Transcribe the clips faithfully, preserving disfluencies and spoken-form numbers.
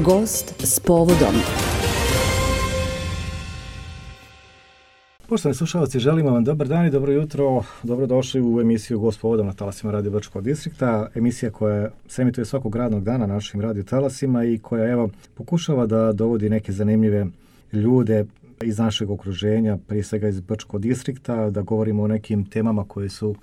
Gost s povodom. Poštovani slušalci, želimo vam dobar dan i dobro jutro. Dobrodošli u emisiju Gost s povodom na talasima Radio Brčkog distrikta. Emisija koja se emituje svakog radnog dana na našim radio talasima i koja evo pokušava da dovodi neke zanimljive ljude iz našeg okruženja, prije svega iz Brčkog distrikta, da govorimo o nekim temama koje su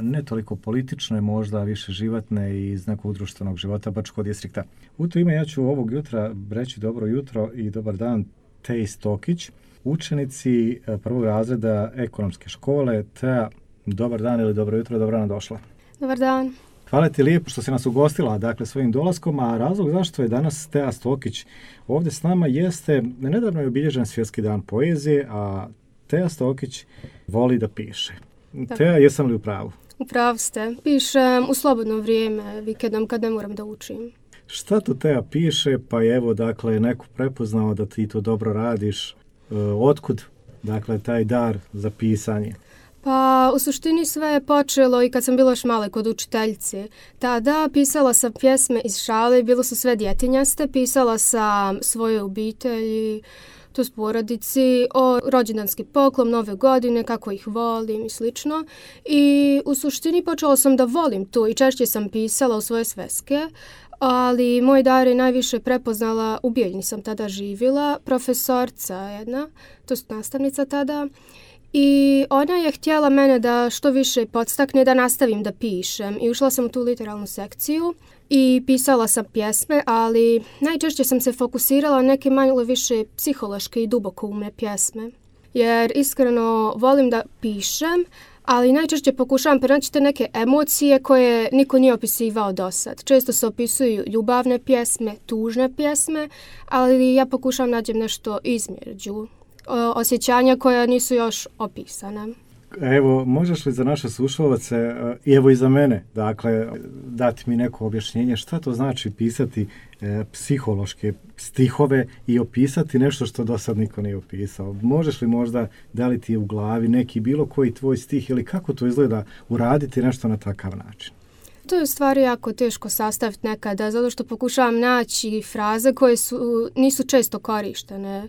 ne toliko politične, možda više životne i iz nekog društvenog života Brčkog distrikta. U to ime ja ću ovog jutra reći dobro jutro i dobar dan Teji Stokić, učenici prvog razreda ekonomske škole. Teja, dobar dan ili dobro jutro, dobro nam došla. Dobar dan. Hvala ti lijepo što si nas ugostila, dakle, svojim dolaskom, a razlog zašto je danas Teja Stokić ovdje s nama jeste, nedavno je obilježen Svjetski dan poezije, a Teja Stokić voli da piše. Da. Teja, jesam li u pravu? U pravu ste. Pišem u slobodno vrijeme, vikendom kad ne moram da učim. Šta to Teja piše, pa je evo, dakle, neko prepoznao da ti to dobro radiš. E, otkud, dakle, taj dar za pisanje? Pa, u suštini sve je počelo i kad sam bila još male kod učiteljice. Tada pisala sam pjesme iz šale, bilo su sve djetinjaste, pisala sam svoje obitelji, to s porodici, o rođendanski poklon, nove godine, kako ih volim i slično. I u suštini počela sam da volim to i češće sam pisala u svoje sveske, ali moj dar je najviše prepoznala, u Bijeljni sam tada živjela, profesorca jedna, to je nastavnica tada, i ona je htjela mene da što više podstakne da nastavim da pišem i ušla sam u tu literalnu sekciju i pisala sam pjesme, ali najčešće sam se fokusirala na neke malo više psihološke i dubokoumne pjesme. Jer iskreno volim da pišem, ali najčešće pokušavam pronaći te neke emocije koje niko nije opisivao do sad. Često se opisuju ljubavne pjesme, tužne pjesme, ali ja pokušavam nađem nešto između osjećanja koja nisu još opisane. Evo, možeš li za naše slušalce i evo i za mene, dakle, dati mi neko objašnjenje šta to znači pisati e, psihološke stihove i opisati nešto što do sad niko nije opisao? Možeš li možda daliti u glavi neki bilo koji tvoj stih ili kako to izgleda uraditi nešto na takav način? To je u stvari jako teško sastaviti nekada, zato što pokušavam naći fraze koje su, nisu često korištene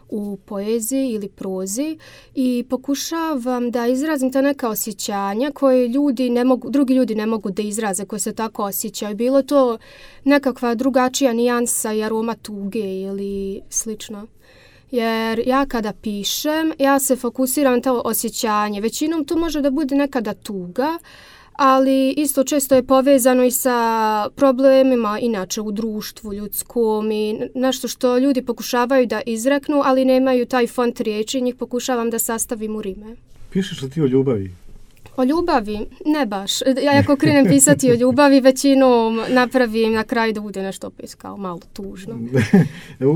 u poeziji ili prozi i pokušavam da izrazim ta neka osjećanja koje ljudi ne mogu, drugi ljudi ne mogu da izraze, koje se tako osjećaju. Bilo to nekakva drugačija nijansa i aroma tuge ili slično. Jer ja kada pišem, ja se fokusiram na to osjećanje. Većinom to može da bude nekada tuga, ali isto često je povezano i sa problemima inače u društvu ljudskom i nešto što ljudi pokušavaju da izreknu, ali nemaju taj font riječi, njih pokušavam da sastavim u rime. Pišeš li ti o ljubavi? O ljubavi? Ne baš. Ja ako krenem pisati o ljubavi, većinom napravim na kraju da bude nešto opis kao malo tužno.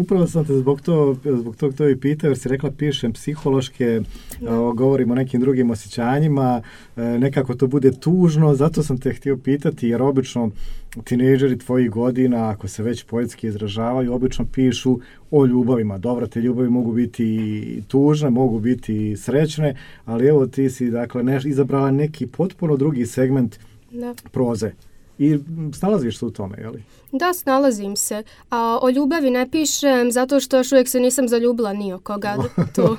Upravo sam te zbog, to, zbog tog to i pitao, jer si rekla pišem psihološke, o, govorim o nekim drugim osjećanjima, e, nekako to bude tužno, zato sam te htio pitati, jer obično tinejdžeri tvojih godina, ako se već poetski izražavaju, obično pišu o ljubavima. Dobro, te ljubavi mogu biti tužne, mogu biti srećne, ali evo ti si, dakle, ne, izabrala neki potpuno drugi segment da. proze. I snalaziš se u tome, je li? Da, snalazim se. A o ljubavi ne pišem zato što još uvijek se nisam zaljubila ni o koga. To,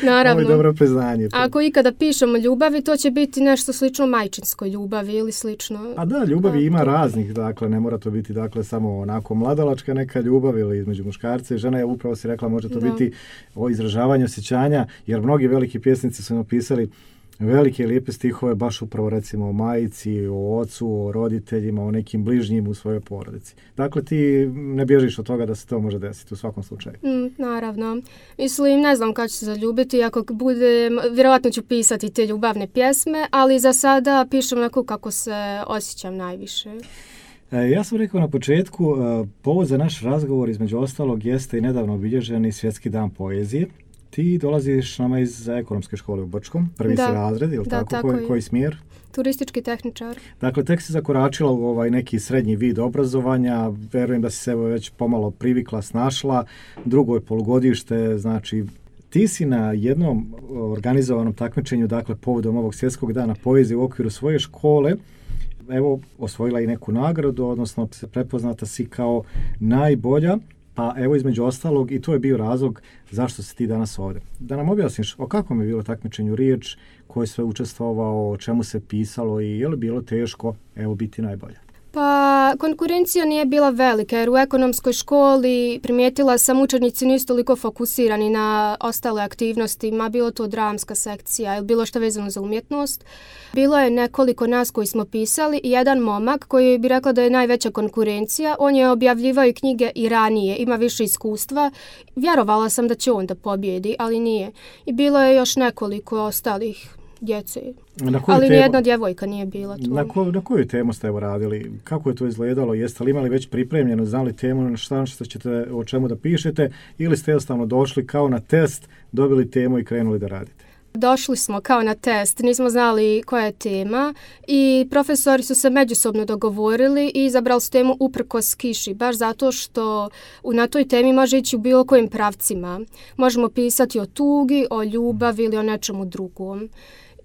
naravno. Ovo je dobro priznanje. Ako ikada pišem o ljubavi, to će biti nešto slično majčinskoj ljubavi ili slično. A da, ljubavi A, ima to... raznih, dakle, ne mora to biti, dakle, samo onako mladalačka neka ljubav ili između muškarca i žena. Ja upravo si rekla, može to da. biti o izražavanju osjećanja, jer mnogi veliki pjesnici su napisali velike i lijepe stihove baš upravo recimo o majici, o ocu, o roditeljima, o nekim bližnjim u svojoj porodici. Dakle, ti ne bježiš od toga da se to može desiti u svakom slučaju. Mm, naravno. Mislim, ne znam kada ću se zaljubiti, ako budem, vjerojatno ću pisati te ljubavne pjesme, ali za sada pišem onako kako se osjećam najviše. E, ja sam rekao na početku, povod za naš razgovor između ostalog jeste i nedavno obilježeni Svjetski dan poezije. Ti dolaziš nama iz ekonomske škole u Brčkom, prvi da, si razred, ili da, tako? tako koji, koji smjer? Turistički tehničar. Dakle, tek si zakoračila u ovaj neki srednji vid obrazovanja, verujem da si se već pomalo privikla, snašla, drugo je polugodište, znači ti si na jednom organizovanom takmičenju, dakle povodom ovog Svjetskog dana poezije u okviru svoje škole, evo osvojila i neku nagradu, odnosno prepoznata si kao najbolja. Pa evo između ostalog i to je bio razlog zašto si ti danas ovdje. Da nam objasniš o kakvom je bilo takmičenju riječ, ko je sve učestvovao, o čemu se pisalo i je li bilo teško evo biti najbolja? Pa konkurencija nije bila velika jer u ekonomskoj školi primijetila sam učenici nisu toliko fokusirani na ostale aktivnosti, ma bilo to dramska sekcija ili bilo što vezano za umjetnost. Bilo je nekoliko nas koji smo pisali i jedan momak koji bi rekla da je najveća konkurencija, on je objavljivao i knjige i ranije, ima više iskustva. Vjerovala sam da će on da pobjedi, ali nije. I bilo je još nekoliko ostalih djece. Ali nijedna djevojka nije bila tu. Na, ko, na koju temu ste evo radili? Kako je to izgledalo? Jeste li imali već pripremljeno, znali temu na šta ćete, o čemu da pišete ili ste jednostavno došli kao na test, dobili temu i krenuli da radite? Došli smo kao na test, nismo znali koja je tema i profesori su se međusobno dogovorili i izabrali su temu uprkos kiši, baš zato što na toj temi može ići u bilo kojim pravcima. Možemo pisati o tugi, o ljubavi ili o nečemu drugom.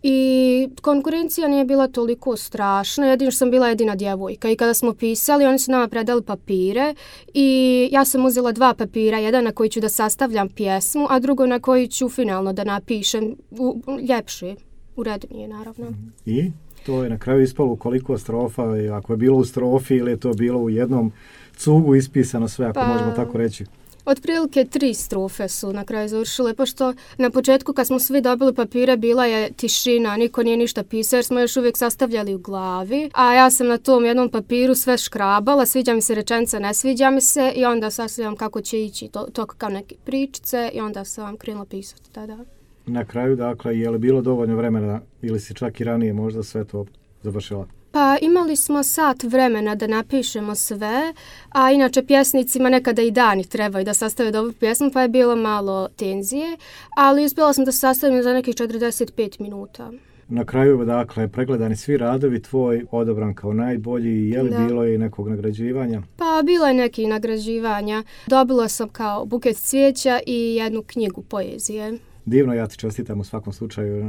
I konkurencija nije bila toliko strašna, jedino što sam bila jedina djevojka i kada smo pisali, oni su nama predali papire i ja sam uzela dva papira, jedan na koji ću da sastavljam pjesmu, a drugo na koji ću finalno da napišem u, ljepše, urednije naravno. I to je na kraju ispalo koliko strofa, ako je bilo u strofi ili je to bilo u jednom cugu ispisano sve, ako pa... možemo tako reći? Otprilike tri strofe su na kraju završile, pošto na početku kad smo svi dobili papire bila je tišina, niko nije ništa pisao jer smo još uvijek sastavljali u glavi, a ja sam na tom jednom papiru sve škrabala, sviđa mi se rečenica, ne sviđa mi se i onda sastavljam kako će ići to, to kao neke pričice i onda sam vam krenula pisati tada. Na kraju, dakle, je li bilo dovoljno vremena ili si čak i ranije možda sve to završila? Pa imali smo sat vremena da napišemo sve, a inače pjesnicima nekada i dani trebaju da sastave dobru pjesmu, pa je bilo malo tenzije, ali uspjela sam da sastavim za nekih četrdeset pet minuta. Na kraju, dakle, pregledani svi radovi, tvoj odabran kao najbolji, je li da. Bilo i nekog nagrađivanja? Pa bilo je nekih nagrađivanja. Dobila sam kao buket cvijeća i jednu knjigu poezije. Divno, ja ti čestitam u svakom slučaju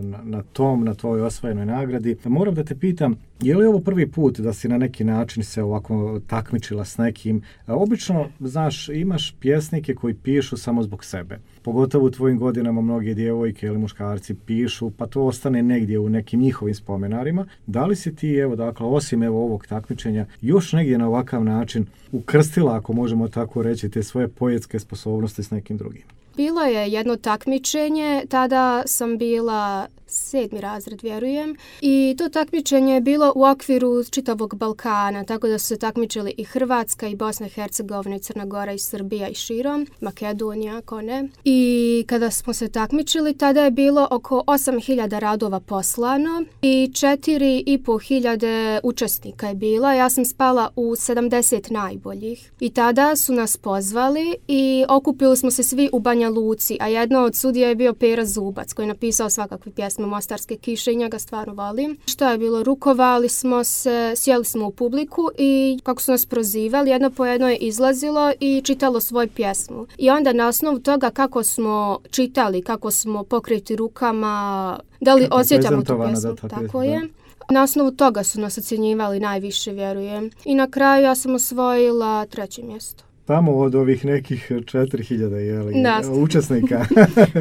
na, na tom, na tvojoj osvojenoj nagradi. Moram da te pitam, je li ovo prvi put da si na neki način se ovako takmičila s nekim? Obično, znaš, imaš pjesnike koji pišu samo zbog sebe. Pogotovo u tvojim godinama mnoge djevojke ili muškarci pišu, pa to ostane negdje u nekim njihovim spomenarima. Da li si ti, evo, dakle, osim evo ovog takmičenja, još negdje na ovakav način ukrstila, ako možemo tako reći, te svoje poetske sposobnosti s nekim drugim? Bilo je jedno takmičenje, tada sam bila sedmi razred, vjerujem, i to takmičenje je bilo u okviru čitavog Balkana, tako da su se takmičili i Hrvatska, i Bosna i Hercegovina, i Crna Gora, i Srbija, i širom, Makedonija, ako ne. I kada smo se takmičili, tada je bilo oko osam hiljada radova poslano i četiri i po hiljade učesnika je bila. Ja sam spala u sedamdeset najboljih. I tada su nas pozvali i okupili smo se svi u Banja Luci, a jedno od sudija je bio Pera Zubac, koji je napisao svakakve pjesme Mostarske kiše i njega stvarno volim. Što je bilo? Rukovali smo se, sjeli smo u publiku i kako su nas prozivali, jedno po jedno je izlazilo i čitalo svoju pjesmu. I onda na osnovu toga kako smo čitali, kako smo pokriti rukama, da li osjećamo tu pjesmu, tako pjesma, je. Na osnovu toga su nas ocjenjivali najviše, vjerujem. I na kraju ja sam osvojila treće mjesto. Tamo od ovih nekih četiri hiljade učesnika.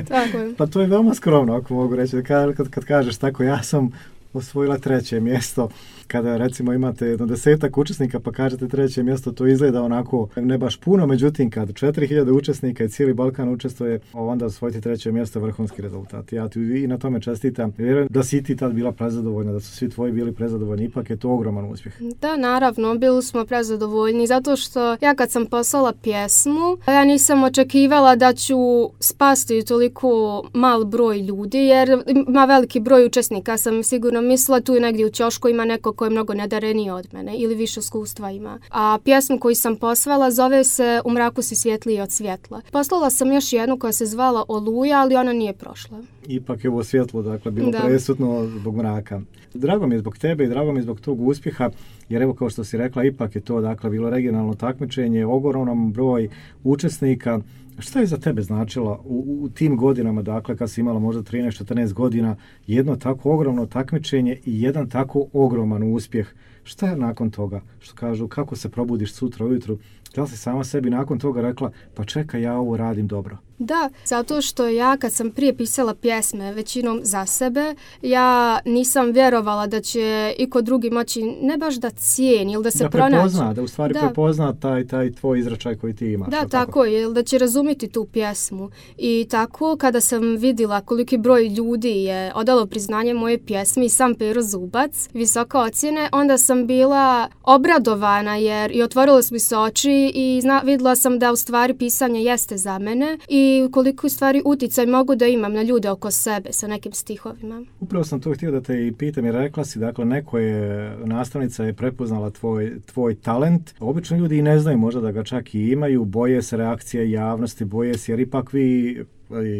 Tako je. Pa to je veoma skromno, ako mogu reći. Kad, kad, kad kažeš tako, ja sam osvojila treće mjesto. Kada recimo imate jedno desetak učesnika pa kažete treće mjesto, to izgleda onako ne baš puno, međutim kad četiri hiljade učesnika i cijeli Balkan učestvuje, onda osvojiti treće mjesto je vrhunski rezultat. Ja ti i na tome čestitam. Vjerujem da si ti tad bila prezadovoljna, da su svi tvoji bili prezadovoljni, ipak je to ogroman uspjeh. Da, naravno, bili smo prezadovoljni, zato što ja kad sam poslala pjesmu, ja nisam očekivala da ću spasti toliko mal broj ljudi, jer ima veliki broj učesnika, sam sigurno mislila tu negdje u ćošku ima neko ko je mnogo nadareniji od mene ili više iskustva ima. A pjesmu koju sam poslala zove se U mraku si svjetliji od svjetla. Poslala sam još jednu koja se zvala Oluja, ali ona nije prošla. Ipak je ovo svjetlo, dakle, bilo da. presudno zbog mraka. Drago mi je zbog tebe i drago mi je zbog tog uspjeha, jer evo kao što si rekla, ipak je to, dakle, bilo regionalno takmičenje, ogroman broj učesnika Šta je za tebe značila u, u tim godinama, dakle kad si imala možda trinaest četrnaest godina, jedno tako ogromno takmičenje i jedan tako ogroman uspjeh? Šta je nakon toga? Što kažu, kako se probudiš sutra ujutru? Da li si sama sebi nakon toga rekla, pa čekaj, ja ovo radim dobro? Da, zato što ja kad sam prije pisala pjesme većinom za sebe, ja nisam vjerovala da će iko drugi moći ne baš da cijeni ili da se pronaći. Da prepozna, da u stvari da. prepozna taj, taj tvoj izračaj koji ti imaš. Da, tako, tako je, ili da će razumjeti tu pjesmu. I tako kada sam vidjela koliki broj ljudi je odalo priznanje moje pjesmi i sam Pero Zubac, visoke ocjene, onda sam bila obradovana jer i otvorila su mi se oči i zna, vidjela sam da u stvari pisanje jeste za mene i koliko u stvari uticaj mogu da imam na ljude oko sebe sa nekim stihovima. Upravo sam to htio da te i pitam i rekla si, dakle neko je, nastavnica je prepoznala tvoj, tvoj talent. Obično ljudi i ne znaju možda da ga čak i imaju, boje se reakcije javnosti, boje se jer ipak vi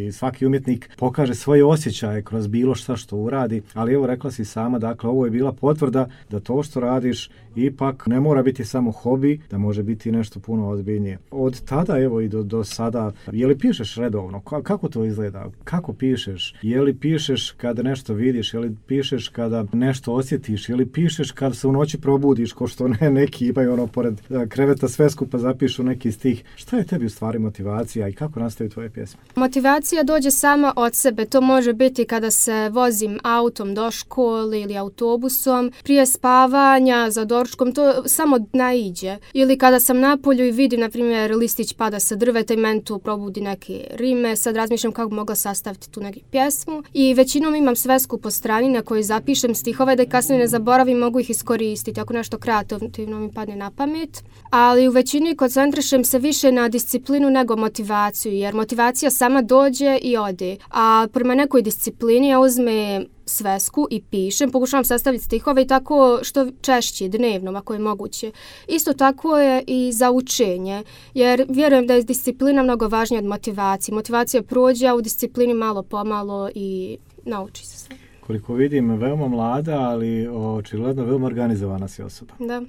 i svaki umjetnik pokaže svoje osjećaje kroz bilo šta što uradi, ali evo rekla si sama, dakle ovo je bila potvrda da to što radiš ipak ne mora biti samo hobi, da može biti nešto puno ozbiljnije. Od tada evo i do, do sada, je li pišeš redovno? Kako to izgleda? Kako pišeš? Je li pišeš kada nešto vidiš? Je li pišeš kada nešto osjetiš? Je li pišeš kada se u noći probudiš, ko što ne, neki imaju ono pored kreveta sve skupa zapišu neki stih? Šta je tebi u stvari motivacija i kako nastaju tvoje pjesme? Motivacija dođe sama od sebe. To može biti kada se vozim autom do škole ili autobusom, prije spavanja, za doručkom, to samo naiđe. Ili kada sam na polju i vidim, na primjer, listić pada sa drveta i meni tu probudi neke rime, sad razmišljam kako bi mogla sastaviti tu neku pjesmu. I većinom imam svesku po strani na kojoj zapišem stihove da kasnije ne zaboravim, mogu ih iskoristiti ako nešto kreativno mi padne na pamet. Ali u većini koncentrišem se više na disciplinu nego motivaciju, jer motivacija sama dođe i ode. A prema nekoj disciplini ja uzmem svesku i pišem, pokušavam sastaviti stihove i tako što češće, dnevno, ako je moguće. Isto tako je i za učenje, jer vjerujem da je disciplina mnogo važnija od motivacije. Motivacija prođe, a u disciplini malo pomalo i nauči se sve. Koliko vidim, veoma mlada, ali očigledno veoma organizovana si osoba. Da.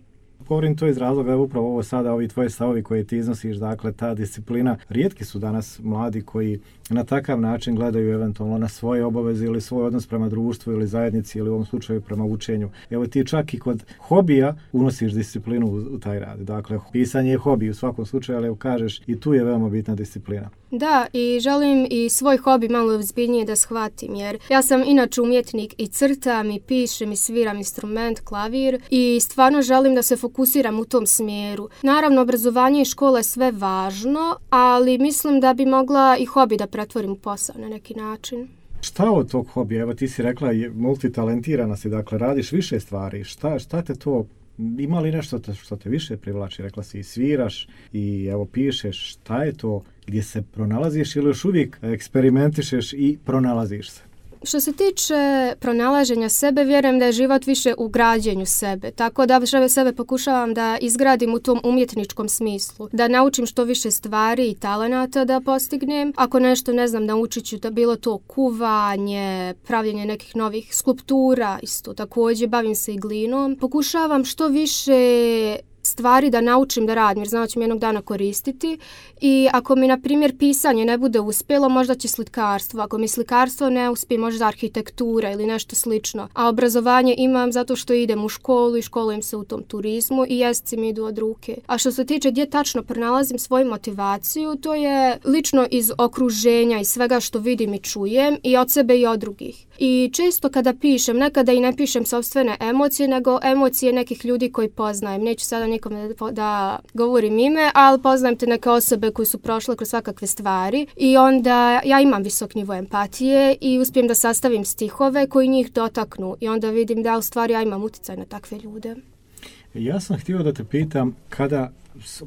Govorim to iz razloga, upravo ovo sada, ovi tvoje stavovi koje ti iznosiš, dakle ta disciplina. Rijetki su danas mladi koji na takav način gledaju eventualno na svoje obaveze ili svoj odnos prema društvu ili zajednici ili u ovom slučaju prema učenju. Evo ti čak i kod hobija unosiš disciplinu u, u taj rad. Dakle, pisanje je hobi u svakom slučaju, ali evo kažeš i tu je veoma bitna disciplina. Da, i želim i svoj hobi malo ozbiljnije da shvatim, jer ja sam inače umjetnik i crtam i pišem i sviram instrument, klavir i stvarno želim da se fokusiram u tom smjeru. Naravno, obrazovanje i škola je sve važno, ali mislim da bi mogla i hobi da pretvorim u posao na neki način. Šta od tog hobija? Evo ti si rekla, multitalentirana si, dakle radiš više stvari. Šta, šta te to, ima li nešto te, što te više privlači? Rekla si i sviraš i evo pišeš. Šta je to gdje se pronalaziš ili još uvijek eksperimentišeš i pronalaziš se? Što se tiče pronalaženja sebe, vjerujem da je život više u građenju sebe. Tako da sebe pokušavam da izgradim u tom umjetničkom smislu. Da naučim što više stvari i talenata da postignem. Ako nešto ne znam, naučit ću da bilo to kuvanje, pravljenje nekih novih skulptura, isto također bavim se i glinom. Pokušavam što više stvari da naučim da radim, jer znam da ću mi jednog dana koristiti. I ako mi, na primjer, pisanje ne bude uspjelo, možda će slikarstvo. Ako mi slikarstvo ne uspije, možda arhitektura ili nešto slično. A obrazovanje imam zato što idem u školu i školujem se u tom turizmu i jezici mi idu od ruke. A što se tiče gdje tačno pronalazim svoju motivaciju, to je lično iz okruženja i svega što vidim i čujem i od sebe i od drugih. I često kada pišem, nekada i ne pišem sopstvene emocije, nego emocije nekih ljudi koji poznajem. Neću sada nikome da, da govorim ime, ali poznajem te neke osobe koji su prošle kroz svakakve stvari i onda ja imam visok nivo empatije i uspijem da sastavim stihove koji njih dotaknu i onda vidim da u stvari ja imam utjecaj na takve ljude. Ja sam htio da te pitam kada,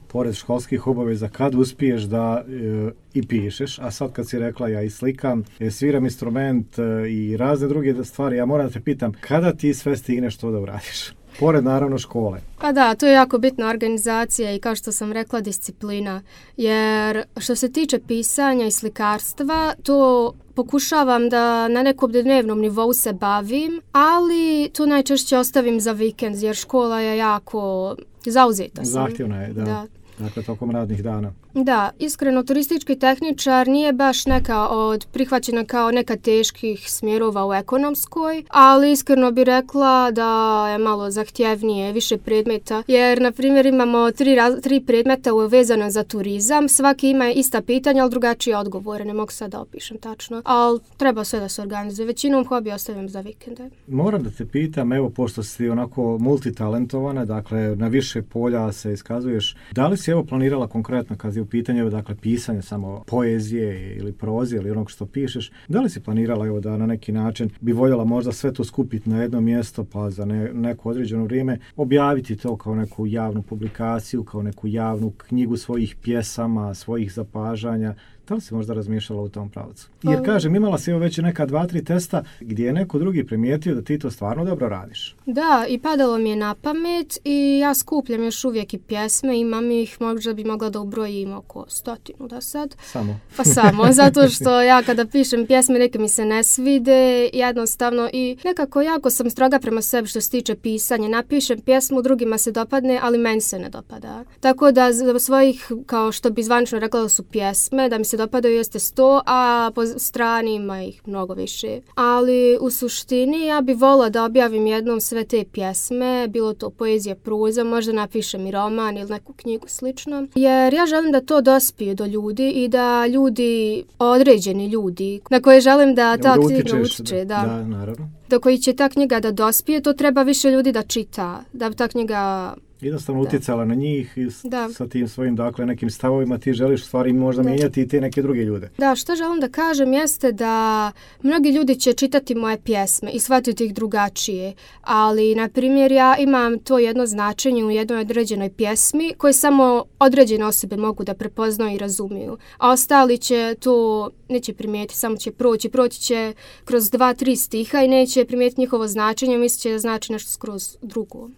pored školskih obaveza, kad uspiješ da e, i pišeš, a sad kad si rekla ja i slikam, e, sviram instrument e, i razne druge stvari, ja moram da te pitam kada ti sve stigneš to da uradiš? Pored naravno škole. Pa da, to je jako bitna organizacija i kao što sam rekla disciplina, jer što se tiče pisanja i slikarstva, to pokušavam da na nekom dnevnom nivou se bavim, ali to najčešće ostavim za vikend, jer škola je jako zauzeta sam. Zahtjevna je, da. da. Dakle, tokom radnih dana. Da, iskreno, turistički tehničar nije baš neka od prihvaćena kao neka teških smjerova u ekonomskoj, ali iskreno bi rekla da je malo zahtjevnije, više predmeta, jer, na primjer, imamo tri, raz, tri predmeta vezano za turizam, svaki ima ista pitanja, ali drugačije odgovore, ne mogu sad da opišem tačno, ali treba sve da se organizuje. Većinom hobi ostavljam za vikende. Moram da te pitam, evo, pošto si onako multitalentovana, dakle, na više polja se iskazuješ, da li si evo planirala konkretno kad je u pitanju, dakle, pisanje samo poezije ili prozije ili onog što pišeš, da li si planirala evo da na neki način bi voljela možda sve to skupiti na jedno mjesto pa za ne, neko određeno vrijeme objaviti to kao neku javnu publikaciju, kao neku javnu knjigu svojih pjesama, svojih zapažanja? Da li si možda razmišljala u tom pravcu? Jer kažem, imala si evo već neka dva, tri testa gdje je neko drugi primijetio da ti to stvarno dobro radiš. Da, i padalo mi je na pamet i ja skupljam još uvijek i pjesme, imam ih, možda bi mogla da ubrojim oko stotinu da sad. Samo? Pa samo, zato što ja kada pišem pjesme neke mi se ne svide, jednostavno, i nekako jako sam stroga prema sebi što se tiče pisanja. Napišem pjesmu, drugima se dopadne, ali meni se ne dopada. Tako da za svojih, kao što bi zvanično rekla da su pjesme, da mi se dopadaju jeste sto, a po strani ima ih mnogo više. Ali u suštini ja bi volila da objavim jednom sve te pjesme, bilo to poezija, proza, možda napišem i roman ili neku knjigu slično. Jer ja želim da to dospije do ljudi i da ljudi, određeni ljudi, na koje želim da ta knjiga utiče, da, da, naravno. do koji će ta knjiga da dospije, to treba više ljudi da čita, da ta knjiga jednostavno utjecala na njih i s, da. sa tim svojim, dakle, nekim stavovima ti želiš stvari možda da. mijenjati i te neke druge ljude. Da, što želim da kažem jeste da mnogi ljudi će čitati moje pjesme i shvatiti ih drugačije, ali, na primjer, ja imam to jedno značenje u jednoj određenoj pjesmi koje samo određene osobe mogu da prepoznaju i razumiju, a ostali će to neće primijetiti, samo će proći, proći će kroz dva, tri stiha i neće primijetiti njihovo značenje, mislit će da znači nešto skroz drugo.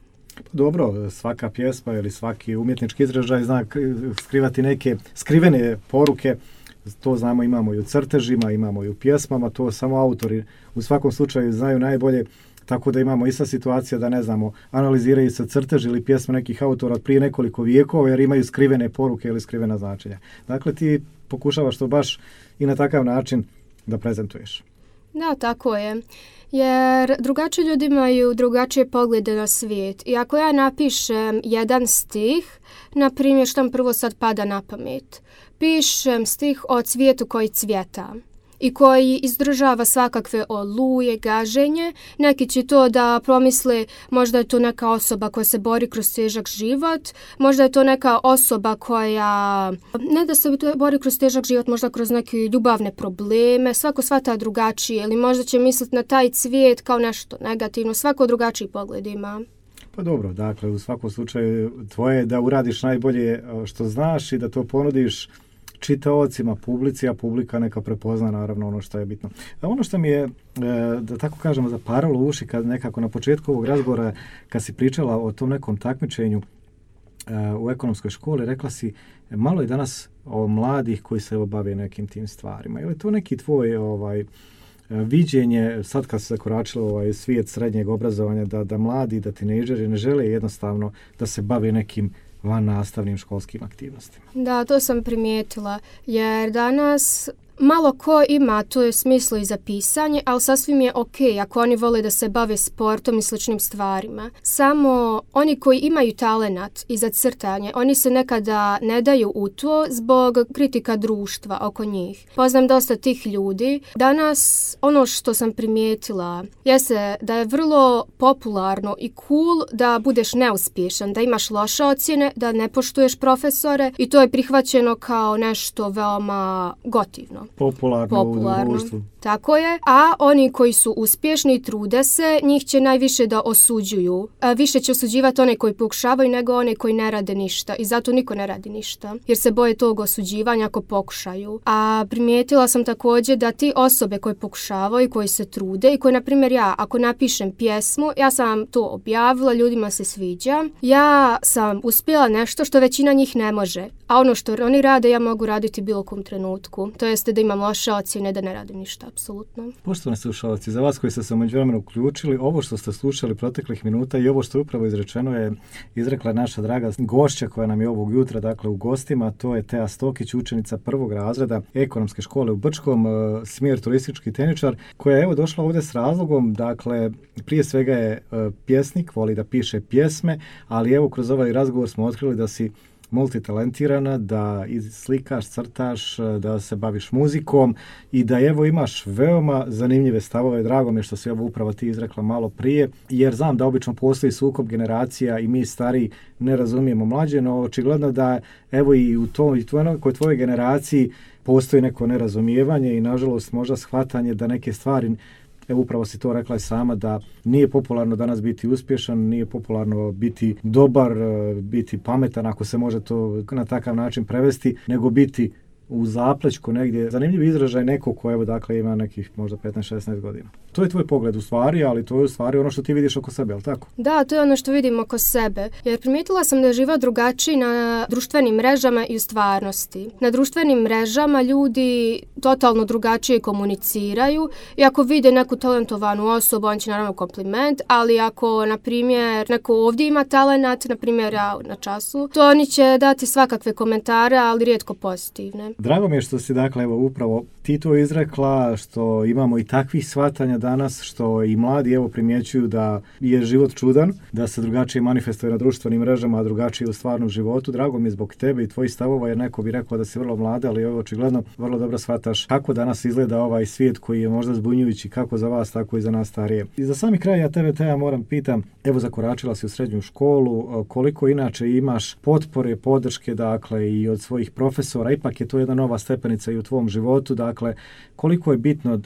Dobro, svaka pjesma ili svaki umjetnički izražaj zna skrivati neke skrivene poruke, to znamo, imamo i u crtežima, imamo i u pjesmama, to samo autori u svakom slučaju znaju najbolje, tako da imamo ista situacija da ne znamo, analiziraju se crtež ili pjesme nekih autora od prije nekoliko vijekova jer imaju skrivene poruke ili skrivena značenja. Dakle, ti pokušavaš to baš i na takav način da prezentuješ. Da, tako je. Jer drugačiji ljudi imaju drugačije poglede na svijet. I ako ja napišem jedan stih, na primjer što mi prvo sad pada na pamet, pišem stih o cvijetu koji cvjeta i koji izdržava svakakve oluje, gaženje, neki će to da promisle, možda je to neka osoba koja se bori kroz težak život, možda je to neka osoba koja ne da se bori kroz težak život, možda kroz neke ljubavne probleme, svako shvata drugačije, ili možda će misliti na taj cvijet kao nešto negativno, svako drugačiji pogled ima. Pa dobro, dakle, u svakom slučaju tvoje je da uradiš najbolje što znaš i da to ponudiš čitaocima, publici, a publika neka prepozna naravno ono što je bitno. A ono što mi je, da tako kažemo, zaparalo uši kad nekako na početku ovog razgovora, kad si pričala o tom nekom takmičenju u ekonomskoj školi, rekla si, malo je danas o mladih koji se bave nekim tim stvarima. Je li to neki tvoj ovaj, viđenje, sad kad se zakoračilo ovaj svijet srednjeg obrazovanja, da, da mladi, da tinejdžeri ne žele jednostavno da se bave nekim van nastavnim školskim aktivnostima? Da, to sam primijetila, jer danas malo ko ima to smislo i za pisanje, ali sasvim je ok ako oni vole da se bave sportom i sličnim stvarima. Samo oni koji imaju talenat i za crtanje, oni se nekada ne daju u to zbog kritika društva oko njih. Poznam dosta tih ljudi. Danas ono što sam primijetila jeste da je vrlo popularno i cool da budeš neuspješan, da imaš loše ocjene, da ne poštuješ profesore i to je prihvaćeno kao nešto veoma gotivno. Popularno, popularno u društvu. Tako je, a oni koji su uspješni i trude se, njih će najviše da osuđuju. A više će osuđivati one koji pokušavaju nego one koji ne rade ništa i zato niko ne radi ništa, jer se boje tog osuđivanja ako pokušaju. A primijetila sam također da ti osobe koje pokušavaju, koji se trude i koji, na primjer, ja, ako napišem pjesmu, ja sam to objavila, ljudima se sviđa, ja sam uspjela nešto što većina njih ne može, a ono što oni rade ja mogu raditi bilo kom trenutku, to jeste da imam loše ocjene, da ne radim ništa. apsolutno. Poštovani slušalci, za vas koji ste se u međuvremenu uključili, ovo što ste slušali proteklih minuta i ovo što je upravo izrečeno je izrekla naša draga gošća koja nam je ovog jutra, dakle u gostima, to je Teja Stokić, učenica prvog razreda Ekonomske škole u Brčkom, smjer turistički tehničar, koja je evo došla ovdje s razlogom, dakle prije svega je pjesnik, voli da piše pjesme, ali evo kroz ovaj razgovor smo otkrili da si multitalentirana, da slikaš, crtaš, da se baviš muzikom i da evo imaš veoma zanimljive stavove. Drago mi je što si ovo upravo ti izrekla malo prije, jer znam da obično postoji sukob generacija i mi stari ne razumijemo mlađe, no očigledno da evo i u toj, tvoj, tvojoj generaciji postoji neko nerazumijevanje i nažalost možda shvatanje da neke stvari, evo upravo si to rekla i sama, da nije popularno danas biti uspješan, nije popularno biti dobar, biti pametan, ako se može to na takav način prevesti, nego biti u zaplećku negdje. Zanimljiv izražaj neko ko evo dakle ima nekih možda petnaest šesnaest godina. To je tvoj pogled u stvari, ali to je u stvari ono što ti vidiš oko sebe, jel tako? Da, to je ono što vidim oko sebe. Jer primijetila sam da je život drugačiji na društvenim mrežama i u stvarnosti. Na društvenim mrežama ljudi totalno drugačije komuniciraju i ako vide neku talentovanu osobu, on će naravno kompliment, ali ako, na primjer, neko ovdje ima talenat, na primjer ja na času, to oni će dati svakakve komentare, ali rijetko pozitivne. Drago mi je što si dakle evo upravo ti to izrekla, što imamo i takvih shvatanja danas, što i mladi evo primjećuju da je život čudan, da se drugačije manifestuje na društvenim mrežama, a drugačije u stvarnom životu. Drago mi je zbog tebe i tvojih stavova, jer neko bi rekao da si vrlo mlada, ali evo očigledno vrlo dobro shvataš kako danas izgleda ovaj svijet koji je možda zbunjujući kako za vas, tako i za nas starije. I za sami kraj ja tebe, Teja, moram pitam, evo zakoračila si u srednju školu, koliko inače imaš potpore, podrške, dakle i od svojih profesora, ipak je to jedna nova stepenica i u tvom životu, dakle koliko je bitno uh,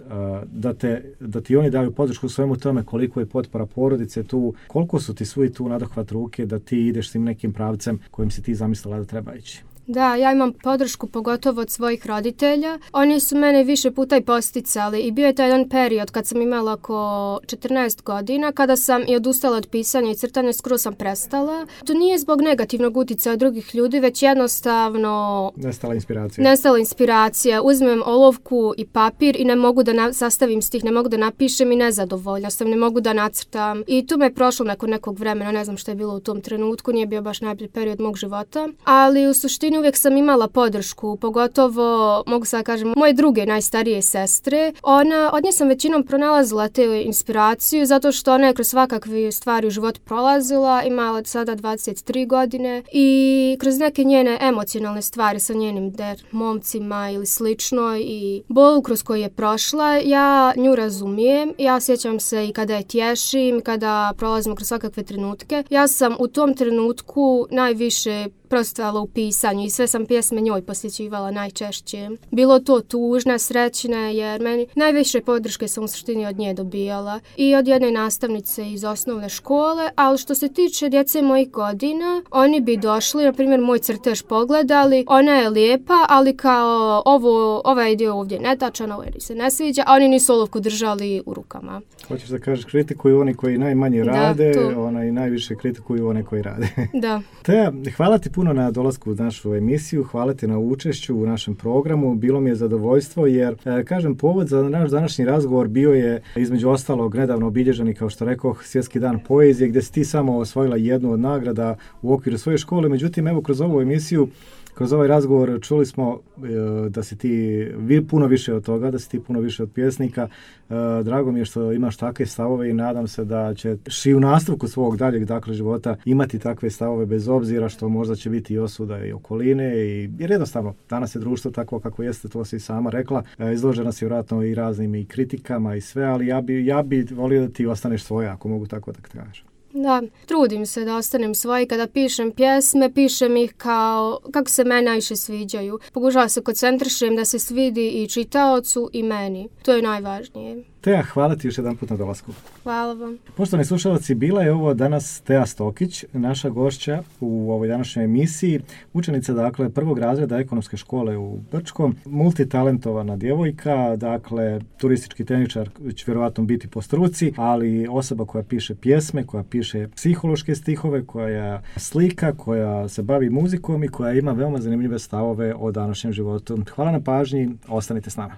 da, te, da ti oni daju podršku svemu tome, koliko je potpora porodice tu, koliko su ti svi tu nadohvat ruke da ti ideš tim nekim pravcem kojim si ti zamislila da treba ići? Da, ja imam podršku pogotovo od svojih roditelja. Oni su mene više puta i posticali i bio je taj jedan period kad sam imala oko četrnaest godina, kada sam i odustala od pisanja i crtanja, skoro sam prestala. To nije zbog negativnog utjecaja drugih ljudi, već jednostavno nestala inspiracija. Nestala inspiracija. Uzmem olovku i papir i ne mogu da na, sastavim stih, ne mogu da napišem i nezadovoljna sam, ne mogu da nacrtam. I tu me je prošlo nakon nekog vremena, ne znam što je bilo u tom trenutku, nije bio baš najbolji period mog života, ali u suštini uvijek sam imala podršku, pogotovo, mogu sad kažem, moje druge najstarije sestre. Ona, od nje sam većinom pronalazila te inspiraciju, zato što ona je kroz svakakve stvari u život prolazila, imala sada dvadeset tri godine i kroz neke njene emocionalne stvari sa njenim der, momcima ili slično i bolu kroz koju je prošla, ja nju razumijem. Ja sjećam se i kada je tješim, kada prolazimo kroz svakakve trenutke. Ja sam u tom trenutku najviše prostala u pisanju i sve sam pjesme njoj posjećivala najčešće. Bilo to tužne, srećne, jer meni najviše podrške sam u suštini od nje dobijala i od jedne nastavnice iz osnovne škole, ali što se tiče djece mojih godina, oni bi došli, na primjer moj crtež pogledali, ona je lijepa, ali kao ovo, ovaj dio ovdje netačan, ovaj se ne sviđa, a oni nisu olovku držali u rukama. Hoćeš da kažeš, kritikuju oni koji najmanje rade, da, ona i najviše kritikuju one koji rade. Da. Teja, hvala ti puno na dolasku u našu emisiju, hvala ti na učešću u našem programu, bilo mi je zadovoljstvo jer, e, kažem, povod za naš današnji razgovor bio je između ostalog nedavno obilježeni, kao što rekoh, Svjetski dan poezije, gdje si ti samo osvojila jednu od nagrada u okviru svoje škole. Međutim, evo kroz ovu emisiju, kroz ovaj razgovor čuli smo e, da si ti vi puno više od toga, da si ti puno više od pjesnika. E, drago mi je što imaš takve stavove i nadam se da ćeš i u nastavku svog daljeg dakle života imati takve stavove bez obzira što možda će biti i osuda i okoline. I, jer jednostavno, danas je društvo takvo kako jeste, to si sama rekla. E, izložena si vjerojatno i raznim i kritikama i sve, ali ja bi, ja bi volio da ti ostaneš svoja, ako mogu tako da kažem. Da, trudim se da ostanem svoj. Kada pišem pjesme, pišem ih kao kako se meni najviše sviđaju. Pokušavam se koncentrišem da se svidi i čitaocu i meni. To je najvažnije. Teja, hvala ti još jedan put na dolasku. Hvala vam. Poštovani slušalci, bila je ovo danas Teja Stokić, naša gošća u ovoj današnjoj emisiji, učenica dakle prvog razreda Ekonomske škole u Brčkom, multitalentovana djevojka, dakle turistički tehničar će vjerovatno biti po struci, ali osoba koja piše pjesme, koja piše psihološke stihove, koja slika, koja se bavi muzikom i koja ima veoma zanimljive stavove o današnjem životu. Hvala na pažnji, ostanite s nama.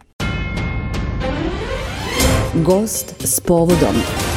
Gost s povodom.